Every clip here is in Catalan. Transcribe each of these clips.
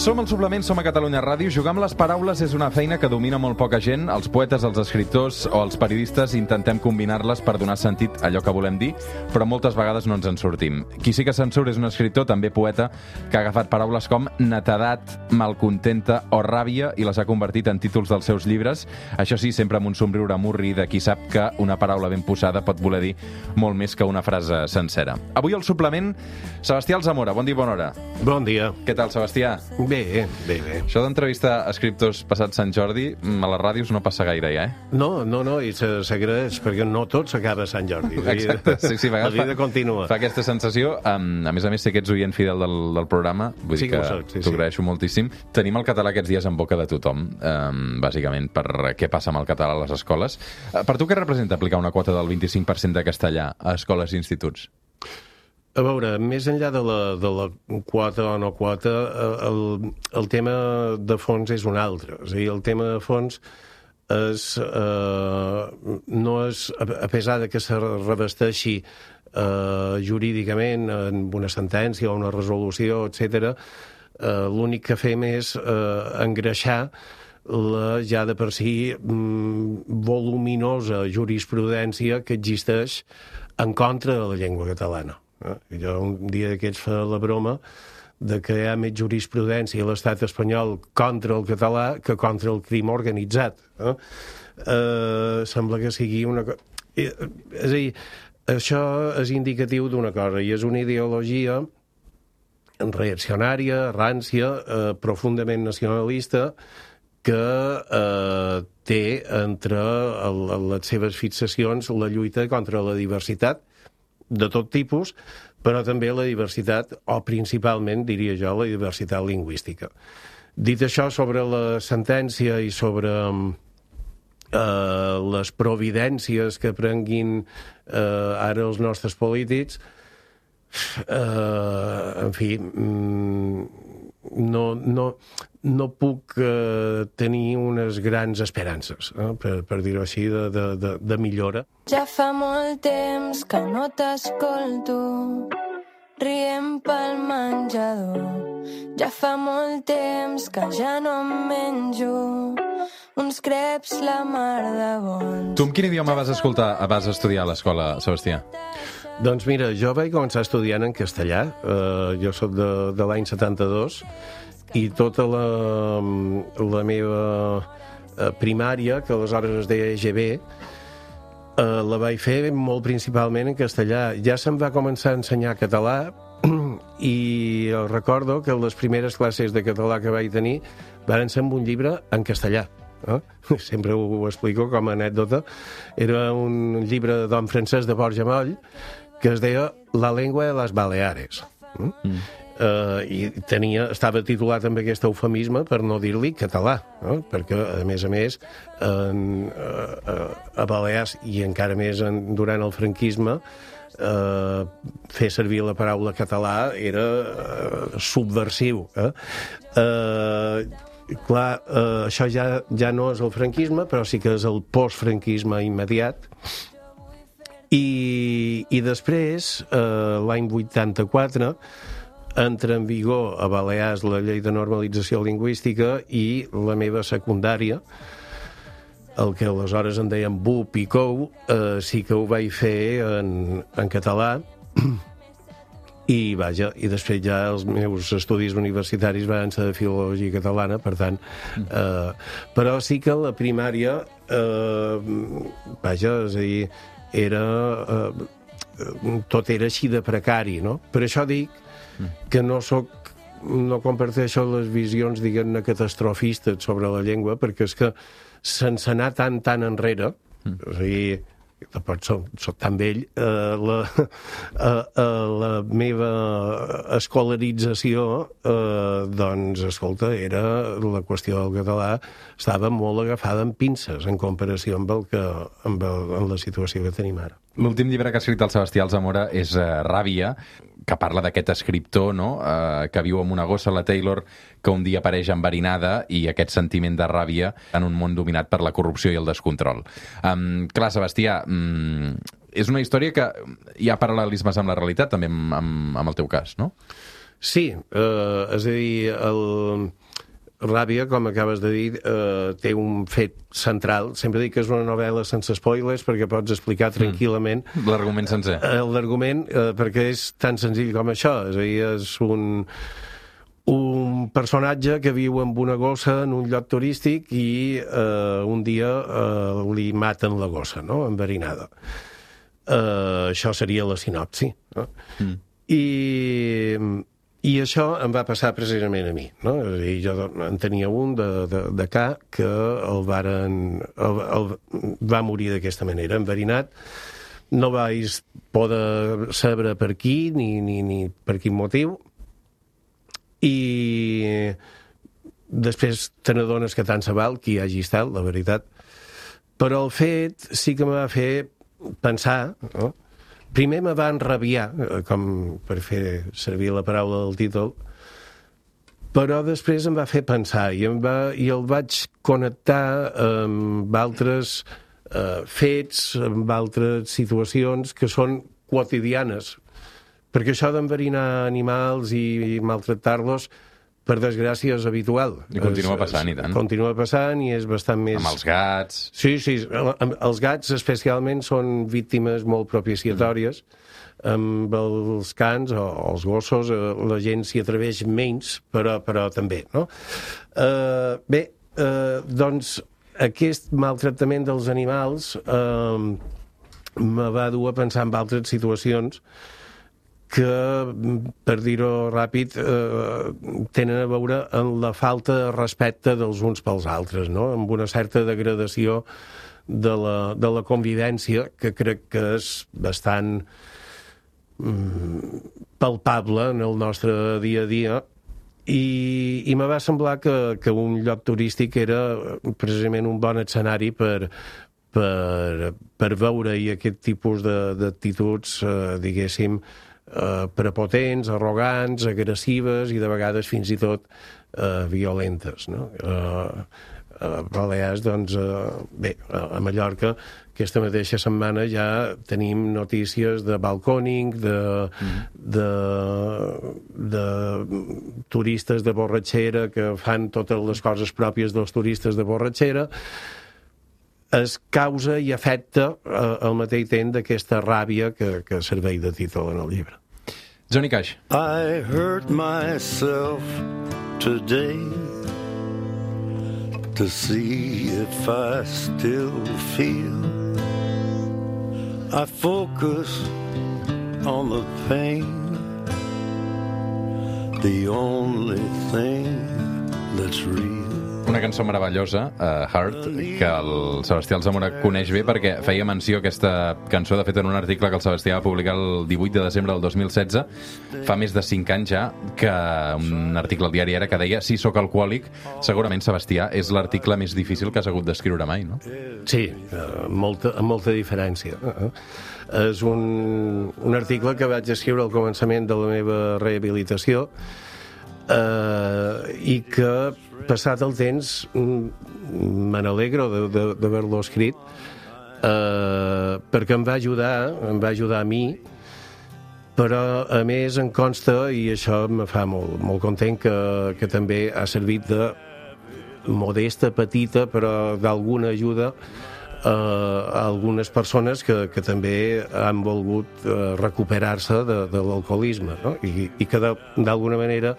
Som al Suplement, som a Catalunya Ràdio. Jugar amb les paraules és una feina que domina molt poca gent. Els poetes, els escriptors o els periodistes intentem combinar-les per donar sentit a allò que volem dir, però moltes vegades no ens en sortim. Qui sí que se'n surt és un escriptor, també poeta, que ha agafat paraules com netedat, malcontenta o ràbia i les ha convertit en títols dels seus llibres. Això sí, sempre amb un somriure murri de qui sap que una paraula ben posada pot voler dir molt més que una frase sencera. Avui al Suplement, Sebastià Alsamora. Bon dia i bona hora. Bon dia. Què tal, Sebastià? Bé. Això d'entrevistar escriptors passat Sant Jordi a les ràdios no passa gaire ja, No, i s'agraeix, perquè no tot s'acaba a Sant Jordi. Exacte, sí, la vida continua. Fa aquesta sensació. A més, sé que ets oient fidel del programa, vull dir que t'ho agraeixo moltíssim. Tenim el català aquests dies en boca de tothom, bàsicament per què passa amb el català a les escoles. Per tu què representa aplicar una quota del 25% de castellà a escoles i instituts? A veure, més enllà de la quota o no quota, el tema de fons és un altre. És a dir, el tema de fons no és, a pesar de que se revesteixi jurídicament en una sentència o una resolució, etc., l'únic que fem és engreixar la ja de per si voluminosa jurisprudència que existeix en contra de la llengua catalana. Jo un dia d'aquests fa la broma de que hi ha més jurisprudència a l'estat espanyol contra el català que contra el crim organitzat. Sembla que sigui una cosa... És a dir, això és indicatiu d'una cosa, i és una ideologia reaccionària, rància, profundament nacionalista, que té entre les seves fixacions la lluita contra la diversitat de tot tipus, però també la diversitat, o principalment, diria jo, la diversitat lingüística. Dit això, sobre la sentència i sobre les providències que prenguin ara els nostres polítics, en fi, no puc tenir unes grans esperances, per dir-ho així, de millora. Ja fa molt temps que no t'escolto, rient pel menjador. Ja fa molt temps que ja no em menjo uns creps la mar de bons. Tu amb quin idioma vas estudiar a l'escola, Sebastià? Doncs mira, jo vaig començar estudiant en castellà. Jo soc de l'any 72 i tota la meva primària, que aleshores es deia EGB, la vaig fer molt principalment en castellà. Ja se'm va començar a ensenyar català i recordo que les primeres classes de català que vaig tenir van ser amb un llibre en castellà. Sempre ho explico com a anècdota. Era un llibre de don Francesc de Borja Moll que es deia La lengua de les Baleares. I estava titulat amb aquest eufemisme per no dir-li català, perquè, a més, a Balears, i encara més durant el franquisme, fer servir la paraula català era subversiu. Clar, això ja no és el franquisme, però sí que és el postfranquisme immediat. I després, l'any 84, entra en vigor a Balears la llei de normalització lingüística i la meva secundària, el que aleshores en deien BUP i COU, sí que ho vaig fer en català. I després ja els meus estudis universitaris van ser de filologia catalana, per tant, però sí que la primària, és a dir, tot era així de precari, no? Per això dic que no comparteixo les visions, diguem-ne, catastrofistes sobre la llengua, perquè és que sense anar tan enrere, és a dir, tampoc soc tan vell, la meva escolarització, doncs, escolta, era la qüestió del català, estava molt agafada en pinces en comparació amb la situació que tenim ara. L'últim llibre que ha escrit el Sebastià Alsamora és Ràbia, que parla d'aquest escriptor, no?, que viu amb una gossa, la Taylor, que un dia apareix enverinada, i aquest sentiment de ràbia en un món dominat per la corrupció i el descontrol. Clar, Sebastià, és una història que hi ha paral·lelismes amb la realitat, també amb el teu cas, no? Sí, és a dir, el Ràbia, com acabes de dir, té un fet central. Sempre dic que és una novel·la sense spoilers perquè pots explicar tranquil·lament l'argument sencer. L'argument, perquè és tan senzill com això. És a dir, és un personatge que viu amb una gossa en un lloc turístic i un dia li maten la gossa, no?, enverinada. Això seria la sinopsi. No? I això em va passar precisament a mi, no? És a dir, jo en tenia un de ca que el va morir d'aquesta manera, enverinat. No vaig poder saber per qui ni per quin motiu. I després te n'adones que tant se val qui hagi estat, la veritat. Però el fet sí que me va fer pensar, no? Primer me va enrabiar, com per fer servir la paraula del títol, però després em va fer pensar i el vaig connectar amb altres fets, amb altres situacions que són quotidianes. Perquè això d'enverinar animals i maltractar-los, per desgràcia, és habitual. I continua passant, i tant. Continua passant i és bastant més... Amb els gats... Sí, els gats especialment són víctimes molt propiciatòries. Amb els cans o els gossos la gent s'hi atreveix menys, però també, no? Doncs aquest maltractament dels animals me va dur a pensar en altres situacions que, per dir-ho ràpid, tenen a veure amb la falta de respecte dels uns pels altres, no? Amb una certa degradació de la convivència, que crec que és bastant palpable en el nostre dia a dia, i me va semblar que un lloc turístic era precisament un bon escenari per veure-hi aquest tipus d'actituds, diguéssim, prepotents, arrogants, agressives i de vegades fins i tot violentes, no? A Balears, doncs, a Mallorca, aquesta mateixa setmana ja tenim notícies de balcòning, de turistes de borratxera que fan totes les coses pròpies dels turistes de borratxera. Es causa i afecta al mateix temps d'aquesta ràbia que serveix de títol en el llibre. Johnny Cash. I hurt myself today to see if I still feel. I focus on the pain, the only thing that's real. Una cançó meravellosa, Heart, que el Sebastià Alsamora coneix bé perquè feia menció a aquesta cançó, de fet, en un article que el Sebastià va publicar el 18 de desembre del 2016, fa més de 5 anys ja, que un article al diari Ara que deia "Si sóc alcohòlic", segurament, Sebastià, és l'article més difícil que has hagut d'escriure mai, no? Sí, amb molta diferència. És un article que vaig escriure al començament de la meva rehabilitació i que, passat el temps, me n'alegro d'haver-lo escrit, perquè em va ajudar a mi, però a més em consta, i això me fa molt content, que també ha servit de modesta, petita, però d'alguna ajuda a algunes persones que també han volgut recuperar-se de l'alcoholisme, no? I que d'alguna manera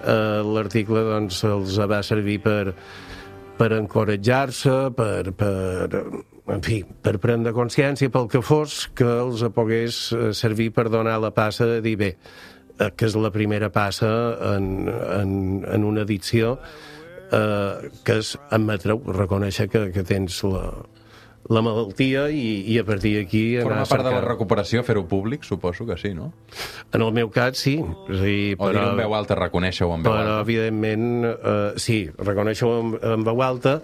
l'article doncs els va servir per encoratjar-se, en fi, per prendre consciència pel que fos, que els pogués servir per donar la passa de dir, bé, que és la primera passa en una addicció, que és admetre-ho, reconèixer que tens la malaltia i a partir d'aquí Forma part de la recuperació fer-ho públic, suposo que sí, no? En el meu cas, sí. O dir-ho en veu alta, reconèixer-ho en veu alta. Però, evidentment, sí, reconèixer-ho en veu alta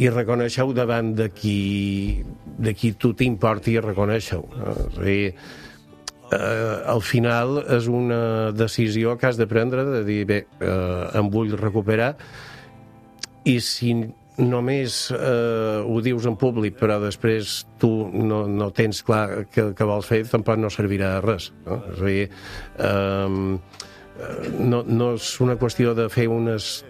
i reconèixer-ho davant de qui tu t'importi reconèixer-ho. És a dir, al final és una decisió que has de prendre, de dir, bé, em vull recuperar, i si només ho dius en públic però després tu no tens clar què vols fer, tampoc no servirà de res, no? És a dir, no és una qüestió de fer unes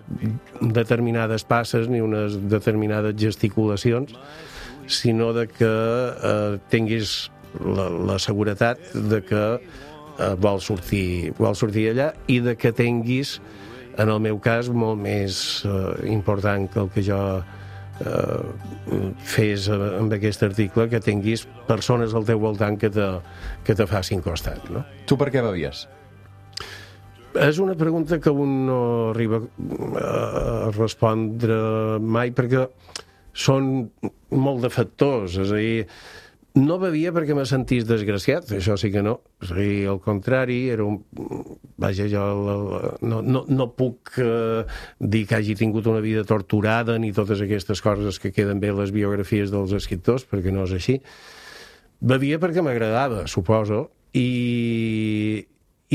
determinades passes ni unes determinades gesticulacions, sinó de que tinguis la seguretat de que vol sortir allà i de que tinguis, en el meu cas, molt més important que el que jo fes amb aquest article, que tinguis persones al teu voltant que te facin costat, no? Tu per què bevies? És una pregunta que un no arriba a respondre mai, perquè són molt de factors. És a dir, no bevia perquè me sentís desgraciat, això sí que no. És a dir, al contrari, era un... Vaja, jo no puc dir que hagi tingut una vida torturada ni totes aquestes coses que queden bé a les biografies dels escriptors, perquè no és així. Bevia perquè m'agradava, suposo, i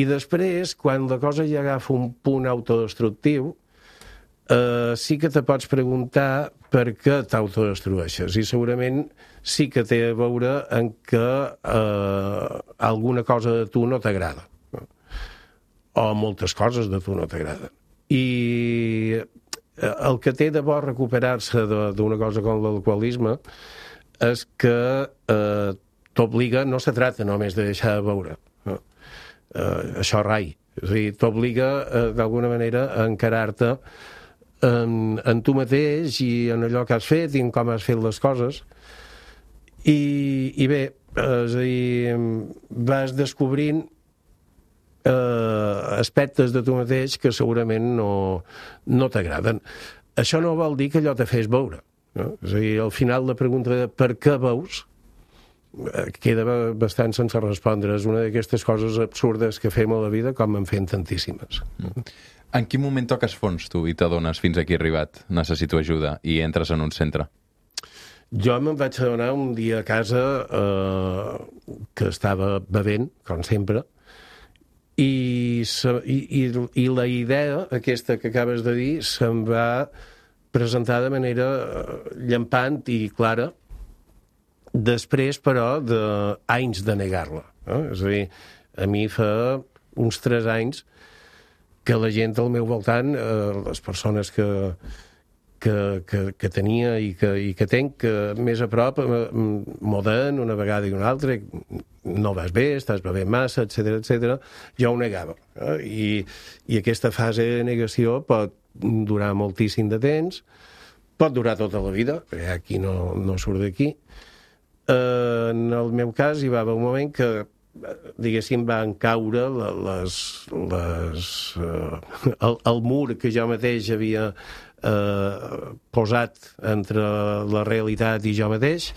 després, quan la cosa ja agafa un punt autodestructiu, sí que te pots preguntar per què t'autodestrueixes, i segurament sí que té a veure en que alguna cosa de tu no t'agrada, o moltes coses de tu no t'agraden. I el que té de bo recuperar-se d'una cosa com l'alcoholisme és que t'obliga, no se trata només de deixar de beure, això rai, és a dir, t'obliga d'alguna manera a encarar-te en tu mateix i en allò que has fet i en com has fet les coses, i bé, és a dir, vas descobrint aspectes de tu mateix que segurament no t'agraden. Això no vol dir que allò te fes beure, no? És a dir, al final la pregunta de per què beus queda bastant sense respondre. És una d'aquestes coses absurdes que fem a la vida, com en fem tantíssimes. En quin moment toques fons, tu, i t'adones fins aquí arribat, necessito ajuda, i entres en un centre? Jo me'n vaig adonar un dia a casa que estava bevent, com sempre, i la idea aquesta que acabes de dir se'm va presentar de manera llampant i clara, després, però, d'anys de negar-la. És a dir, a mi fa uns 3 anys que la gent al meu voltant, les persones que tenia i que tenc més a prop, m'ho deien una vegada i una altra, no vas bé, estàs bevent massa, etc. Jo ho negava. I aquesta fase de negació pot durar moltíssim de temps, pot durar tota la vida, perquè aquí no surt d'aquí. En el meu cas hi va haver un moment que, diguéssim, van caure el mur que jo mateix havia posat entre la realitat i jo mateix,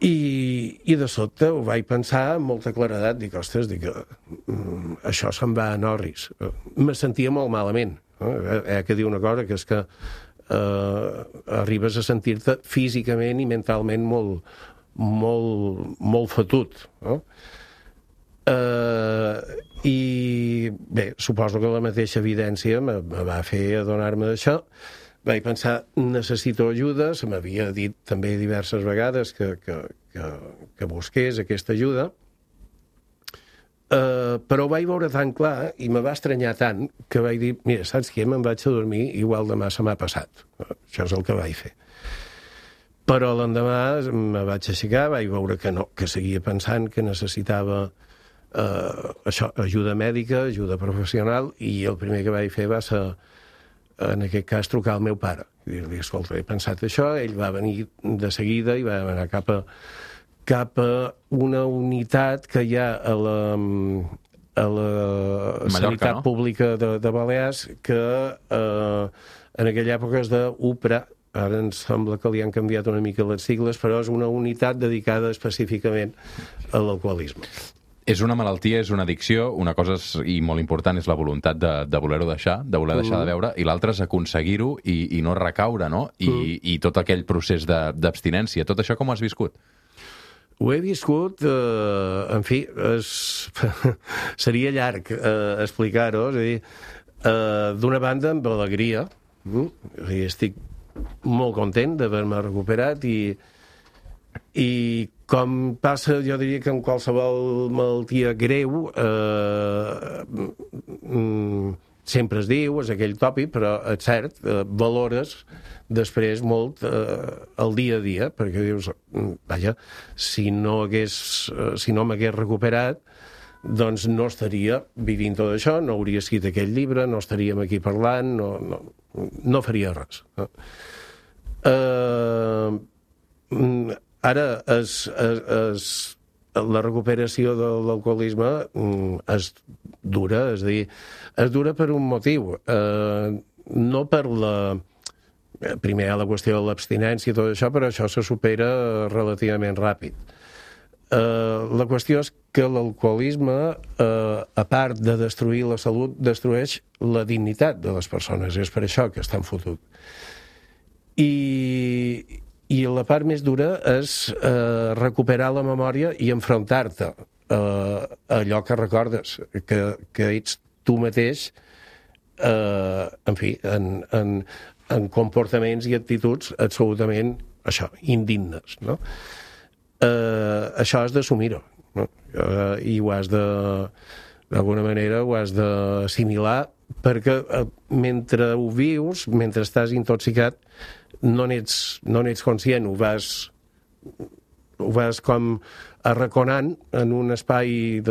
i de sobte ho vaig pensar amb molta claredat. Dic, ostres, això se'n va en orris. Me sentia molt malament. Que dir una cosa, que és que arribes a sentir-te físicament i mentalment molt fotut, no? I bé, suposo que la mateixa evidència me va fer adonar-me d'això. Vaig pensar, necessito ajuda, se m'havia dit també diverses vegades que busqués aquesta ajuda, però ho vaig veure tan clar i me va estranyar tant que vaig dir, mira, saps què? Me'n vaig a dormir, igual demà se m'ha passat. Això és el que vaig fer. Però l'endemà me vaig aixecar, vaig veure que no, que seguia pensant que necessitava ajuda mèdica, ajuda professional, i el primer que vaig fer va ser, en aquest cas, trucar al meu pare. Dir-li, escolta, he pensat això, ell va venir de seguida i va anar cap a una unitat que hi ha a la Mallorca, sanitat no? pública de Balears, que en aquella època és d'UPRA. Ara ens sembla que li han canviat una mica les sigles, però és una unitat dedicada específicament a l'alcoholisme. És una malaltia, és una addicció, una cosa i molt important és la voluntat de voler-ho deixar, de voler deixar de beure, i l'altra és aconseguir-ho i no recaure, no? I tot aquell procés d'abstinència. Tot això com ho has viscut? Ho he viscut, en fi, seria llarg explicar-ho, és a dir, d'una banda amb alegria, és a dir, estic molt content d'haver-me recuperat i Com passa, jo diria que amb qualsevol malaltia greu, sempre es diu, és aquell tòpic, però és cert, valores després molt el dia a dia, perquè dius, vaja, si no m'hagués recuperat, doncs no estaria vivint tot això, no hauria escrit aquell llibre, no estaríem aquí parlant, no faria res. Ara, la recuperació de l'alcoholisme és dura, és a dir, és dura per un motiu, no per primer la qüestió de l'abstinència i tot això, però això se supera relativament ràpid. La qüestió és que l'alcoholisme, a part de destruir la salut, destrueix la dignitat de les persones. És per això que estan fotut. I la part més dura és recuperar la memòria i enfrontar-te a allò que recordes, que ets tu mateix, en fi, en comportaments i actituds absolutament, això, indignes, no? Això has d'assumir-ho, no? I ho has d'alguna manera ho has d'assimilar, perquè mentre ho vius, mentre estàs intoxicat, no n'ets conscient, ho vas com arraconant en un espai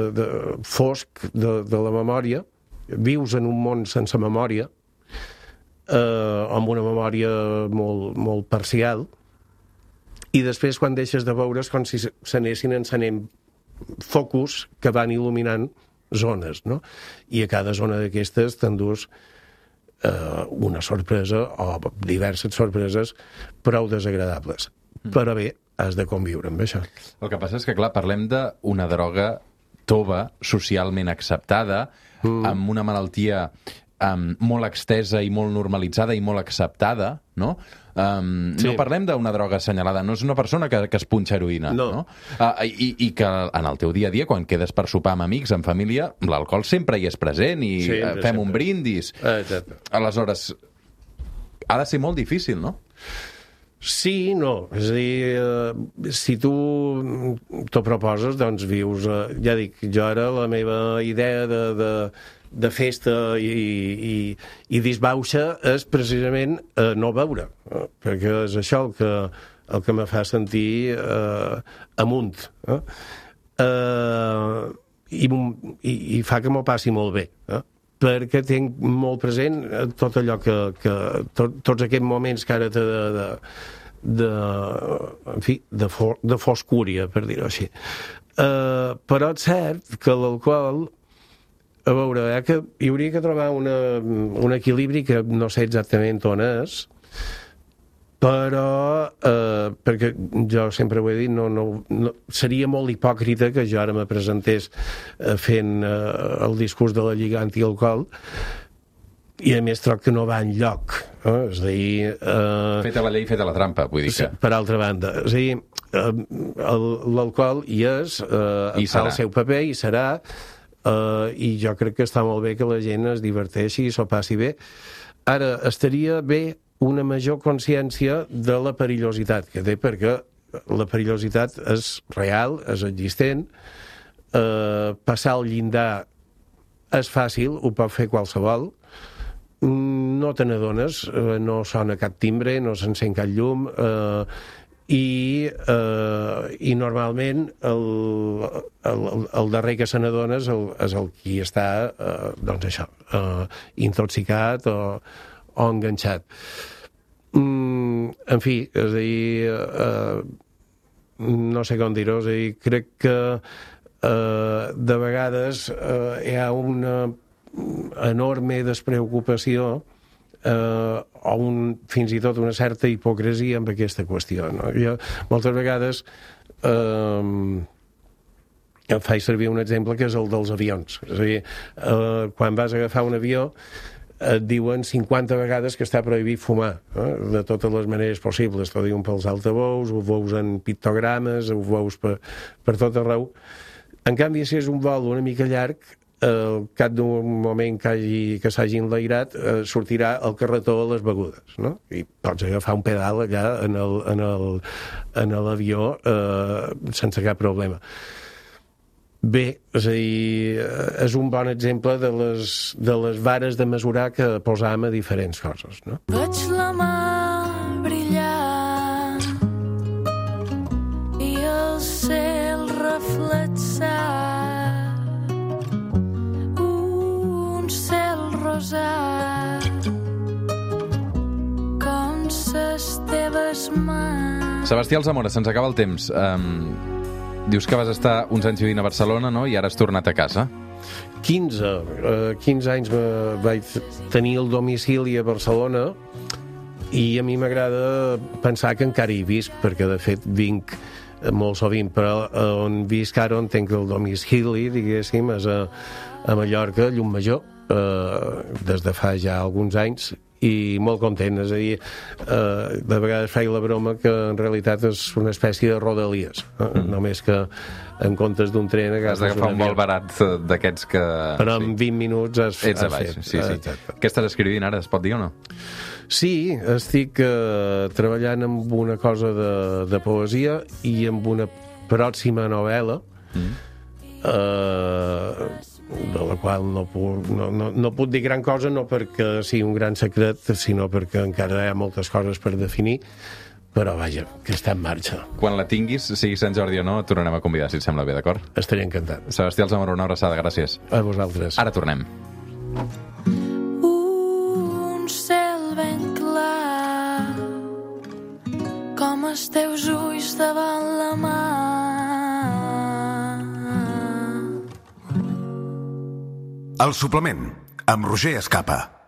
fosc de la memòria, vius en un món sense memòria, amb una memòria molt, molt parcial, i després quan deixes de veure és com si s'anessin encenent focus que van il·luminant zones, no? I a cada zona d'aquestes t'endús una sorpresa o diverses sorpreses prou desagradables. Però bé, has de conviure amb això. El que passa és que, clar, parlem d'una droga tova, socialment acceptada, amb una malaltia molt extesa i molt normalitzada i molt acceptada, no? Sí. No parlem d'una droga assenyalada, no és una persona que es punxa heroïna, no? I que en el teu dia a dia, quan quedes per sopar amb amics, amb família, l'alcohol sempre hi és present i fem un brindis. Exacte. Aleshores, ha de ser molt difícil, no? Sí, no. És a dir, si tu t'ho proposes, doncs vius... Ja dic, jo ara la meva idea de festa i disbauxa és precisament no beure, perquè és això el que me fa sentir amunt. I fa que m'ho passi molt bé, perquè tinc molt present tot allò tots aquests moments que ara té de foscúria, per dir-ho així. Però és cert que l'alcohol, a veure, que hi hauria que trobar un equilibri que no sé exactament on és, però perquè jo sempre ho he dit, no, seria molt hipòcrita que jo ara me presentés fent el discurs de la Lliga Antialcohol i a més troc que no va enlloc. És a dir... Feta la llei, feta la trampa, vull dir que... Per altra banda, és a dir, l'alcohol hi és, fa el seu paper i serà, i jo crec que està molt bé que la gent es diverteixi i s'ho passi bé. Ara, estaria bé una major consciència de la perillositat que té, perquè la perillositat és real, és existent, passar el llindar és fàcil, ho pot fer qualsevol, no te n'adones, no sona cap timbre, no s'encén cap llum, i normalment el darrer que se n'adona és el qui està, doncs això, intoxicat o enganxat. En fi, és a dir, no sé com dir-ho, és a dir, crec que de vegades hi ha una enorme despreocupació o fins i tot una certa hipocresia amb aquesta qüestió, no? Jo moltes vegades faig servir un exemple que és el dels avions. És a dir, quan vas a agafar un avió et diuen 50 vegades que està prohibit fumar, de totes les maneres possibles. T'ho diuen pels altaveus, ho veus en pictogrames, ho veus per tot arreu. En canvi, si és un vol una mica llarg, al cap d'un moment que s'hagi enlairat, sortirà el carretó a les begudes, no? I pots agafar un pedal allà en l'avió sense cap problema. Bé, és a dir, és un bon exemple de les vares de mesurar que posam a diferents coses, no? Veig la mà brillar i el cel reflexar, un cel rosat com ses teves mans. Sebastià Alsamora, se'ns acaba el temps. Dius que vas estar uns anys vivint a Barcelona, no? I ara has tornat a casa. 15 anys vaig tenir el domicili a Barcelona i a mi m'agrada pensar que encara hi visc, perquè de fet vinc molt sovint, però on visc ara, on tenc el domicili, diguéssim, és a Mallorca, Llucmajor, des de fa ja alguns anys, i molt content, és a dir, de vegades feia la broma que en realitat és una espècie de rodalies, només que en comptes d'un tren has d'agafar un vol barat d'aquests que... Però en 20 minuts ets a baix, sí. Què estàs escrivint ara, es pot dir o no? Sí, estic treballant amb una cosa de poesia i amb una pròxima novel·la de la qual no puc dir gran cosa, no perquè sigui un gran secret, sinó perquè encara hi ha moltes coses per definir, però vaja, que està en marxa. Quan la tinguis, sigui Sant Jordi o no, et tornarem a convidar, si et sembla bé, d'acord? Estaré encantat. Sebastià Alsamora, una abraçada, gràcies. A vosaltres. Ara tornem. Un cel ben clar com els teus ulls davant la mà. El suplement, amb Roger Escapa.